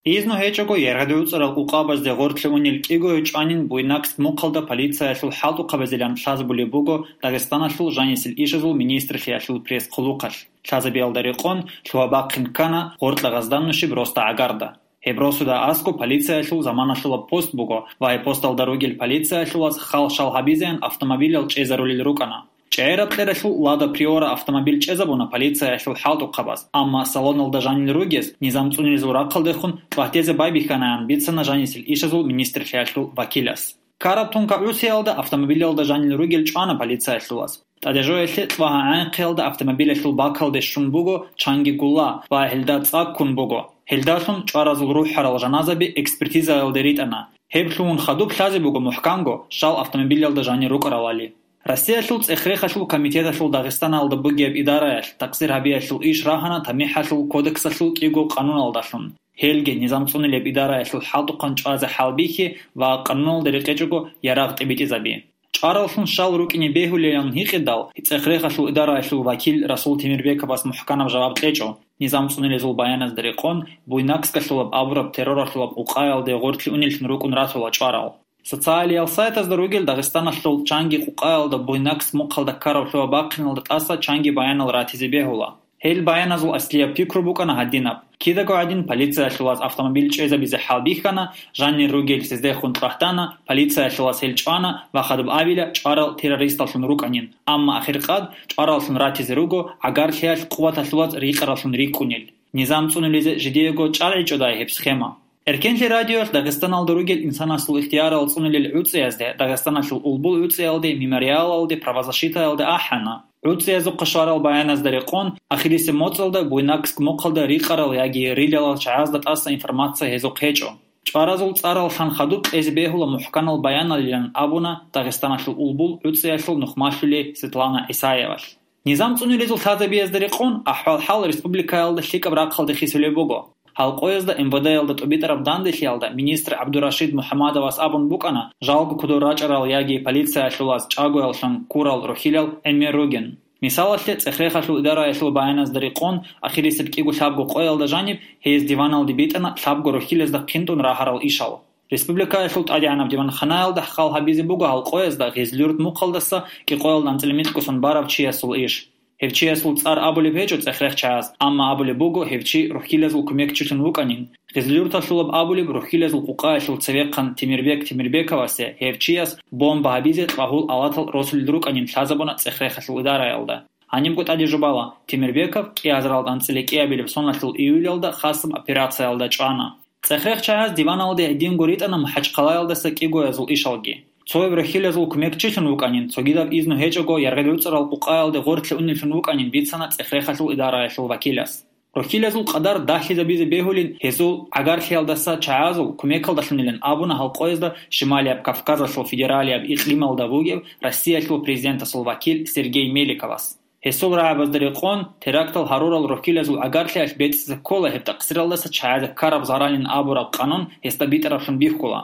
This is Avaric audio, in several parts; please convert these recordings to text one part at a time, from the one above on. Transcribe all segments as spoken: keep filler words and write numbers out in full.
Изну гьечӀого яргъадуцӀарал къукъабазде гъорлъе унел кӀиго гьев чӀванин Буйнакск мухъалда полициялъул хӀалтӀухъабазилан лъазабулеб буго Дагъистаналъул жанисел ишазул министрлъиялъул пресс-хъулухъалъ. Лъазабиялда рекъон лъугьа-бахъин ккана гъоркьа гъазданнущиб Роста гӀагарда. Гьеб росуда аскӀоб полициялъул заманалъулаб пост буго ва гьеб посталда ругел полициялъулаз хал-шал гьабизеян автомобилал чӀезарулел рукӀана. ЧӀегӀераб кьералъул Лада Приора автомобиль чӀезабуна полициялъул хӀалтӀухъабаз, амма салоналда жанил ругез низам цӀунилезул рахъалдехун тӀватӀезе байбихьанаян бицана жанисел ишазул министрлъиялъул вакилас. Ккараб тунка гӀусиялда автомобилалда жанил ругел чӀвана полициялъулаз. ТӀадежоялъе кьвагьа гӀанхъиялда автомобилалъул бакалде щун буго чанги гулла ва гьелда цӀа ккун буго. Гьелдалъун чӀваразул рухӀарал жаназаби экспертизаялде ритӀана. Гьеб лъугьун хадуб лъазе буго мухӀканго щал автомобилалда жанир рукӀаралали. Россиялъул цӀех-рехалъул комитеталъул Дагъистаналда бугеб идараялъ такъсир гьабиялъул иш рагьана ТамихӀалъул кодексалъул кӀиго къануналдалъун. Гьелги низам цӀунилеб идараялъул хӀалтӀухъан чӀвазе хӀалбихьи ва къануналда рекъечӀого ярагъ тӀибитӀизаби. ЧӀвараллъун щал рукӀине бегьулилан гьикъидал, цӀех-рехалъул идараялъул вакил Расул Темирбековас мухӀканаб жаваб кьечӀо. Низам цӀунилезул баяназда рекъон, Буйнакскалъулаб абураб терроралъулаб къукъаялде гъорлъе унеллъун рукӀун ратула чӀварал. Социалиял сайтазда ругел Дагъистаналъул чанги къукъаялда Буйнакск мухъалда ккараб лъугьа-бахъиналда тӀаса чанги баянал ратизе бегьула. Гьел баяназул аслияб пикру букӀана гьадинаб: кидаго гӀадин полициялъулаз автомобиль чӀезабизе хӀалбихьана, жанир ругел цездехун кьвагьтана, полициялъулаз гьел чӀвана ва хадуб абила чӀварал террористаллъун рукӀанин, амма ахиркъад чӀвараллъун ратизе руго гӀагарлъиялъ къуваталъулаз рикъараллъун рикӀкӀунел. Низам цӀунулезе жидеего чӀаргӀичӀодай гьеб схема. Эркенлъи радиоялъ Дагъистаналда ругел инсанасул ихтиярал цӀунулел гӀуцӀиязде Дагъистаналъул Улбул гӀуцӀиялде, Мемориалалде, Правозащитаялде ахӀана. ГӀуцӀиязухъа щварал баяназда рекъон, ахирисеб моцӀалда Буйнакск мухъалда рикъарал яги рилалал чагӀазда тӀаса информация гьезухъ гьечӀо. ЧӀваразул цӀарал лъан хадуб кьезе бегьула мухӀканал баяналилан абуна Дагъистаналъул Улбул гӀуцӀиялъул нухмалъули Светлана ГӀисаевалъ. Низам цӀунилезул лъазабиязда рекъон, ахӀвал-хӀал республикаялда лъикӀаб рахъалде хисулеб буго. Гьалкъоязда МВД-ялда тӀубитӀараб данделъиялда министр ГӀабдурашид МухӀамадовас абун букӀана, жалго кодор рачӀарал яги полициялъулаз чӀагояллъун ккурал рухьилал гӀемер ругин. Мисалалъе, цӀех-рехалъул идараялъул баяназда рекъон, ахирисеб кӀиго-лъабго къоялда жаниб гьез диваналде битӀана лъабго рухьилазда хъинтӀун рагьарал ишал. Республикаялъул ТӀадегӀанаб диванханаялда хал гьабизе буго гьалкъоязда Гъезлъюрт мухъалдаса кӀикъоялда анцӀила микьго сон барав чиясул иш. Гьев чиясул цӀар абулеб гьечӀо цӀех-рех чагӀаз, амма абулеб буго гьев чи рухьилазул кумекчилъун вукӀанин. Гъезлъюрталъулаб абулеб рухьилазул къукъаялъул цевехъан Темирбек Темирбековасе гьев чияс бомба гьабизе кьвагьул алатал росулел рукӀанин лъазабуна цӀех-рехалъул идараялда. Гьанибго тӀаде жубала, Темирбеков кӀиазаралда анцӀила кӀиабилеб соналъул июлялда хасаб операциялда чӀвана. ЦӀех-рех чагӀаз диваналде гьединго ритӀана МахӀачхъалаялдаса кӀигоязул ишалги. Цояб рухьилазул кумекчилъун вукӀанин, цогидаб изну гьечӀого яргъи-гӀуцӀарал къукъаялде гъорлъе унеллъун вукӀанин бицана цӀех-рехалъул идараялъул вакилас. Рухьилазул къадар дагьлъизабизе бегьулин гьезул гӀагарлъиялдаса чагӀазул кумекалдалъунилан абуна гьалкъоязда Шималияб Кавказалъул федералияб икълималда вугев Россиялъул президентасул вакил Сергей Меликовас. Гьесул рагӀабазда рекъон, терактал гьарурал рухьилазул гӀагарлъиялъ бецӀизе ккола гьеб такъсиралдаса чагӀазе ккараб заралин абураб къанун гьесда битӀараблъун бихьула.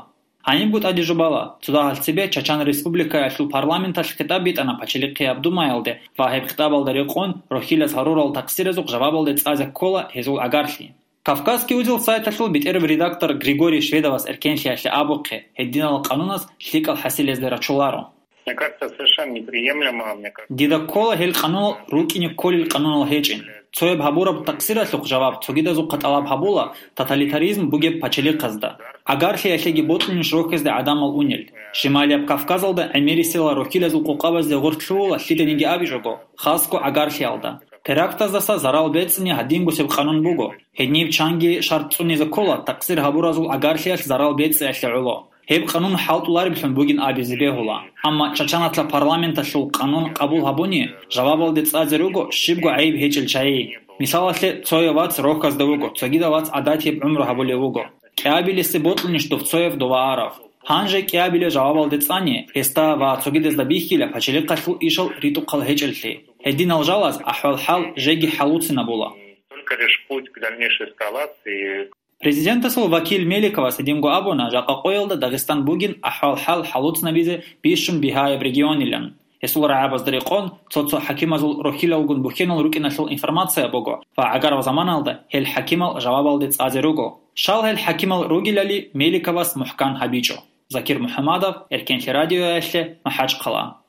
Гьанибго тӀаде жубала, цо дагьалъ цебе Чачан Республикаялъул парламенталъ хитӀаб битӀана Пачалихъияб Думаялде ва гьеб хитӀабалда рекъон рухьилаз гьарурал такъсиразухъ жавабалде цӀазе ккола гьезул гӀагарлъи. Кавказский узел сайталъул бетӀерав редактор Григорий Шведовас эркенлъиялъе абухъе, гьединал къанунас лъикӀал хӀасилезде рачуларо. Мне кажется, совершенно неприемлемо, мне кажется. Дида ккола гьел къанунал рукӀине кколел къанунал гьечӀин. Цояб гьабураб такъсиралъухъ жаваб цогидазухъа тӀалаб гьабула тоталитаризм бугеб пачалихъазда. ГӀагарлъиялъеги бокьунищ рохьизда гӀадамал унел. Шималияб Кавказалда гӀемерисела рухьилазул къукъабазде гъоркь лъугьула лъиданиги абичӀого, хасго гӀагарлъиялда. Терактаздаса зарал бецӀни гьадингусеб къанун буго. Гьединиб чанги шартӀ цӀунизе ккола такъсир гьабуразул гӀагарлъиялъ зарал бецӀиялъе гӀоло. Гьеб къанун хӀалтӀулареблъун бугин абизе бегьула. Амма Чачаналъа парламенталъул къанун къабул гьабуни, жавабалде цӀазе руго щибго гӀайиб гьечӀел чагӀи. Мисалалъе, цояв вац рохьазда вуго, цогидав вац гӀадатияб гӀумру гьабулев вуго. КӀиабилесе бокьунищ дов цояв дова арав? Гьанже кӀиабилев жавабалде цӀани, гьесда ва цогидазда бихьила пачалихъалъул ишал ритӀухъал гьечӀеллъи. Гьединал жалаз ахӀвал-хӀал жеги хӀалуцинабула. Только лишь путь к дальнейшей эскалации. Президентасул вакил Меликовас гьединго абуна, жакъа къоялда Дагъистан бугин ахӀвал-хӀал хӀалуцнабизе бищун бигьаяб регионилан. Гьесул рагӀабазда рекъон, цо-цо хӀакимазул рухьилалгун бухьенал рукӀиналъул информация буго ва гӀагарал заманалда гьел хӀакимал жавабалде цӀазе руго. Щал гьел хӀакимал ругелали Меликовас мухӀкан гьабичӀо. Закир МухӀамадов, Эркенлъи радиоялъе, МахӀачхъала.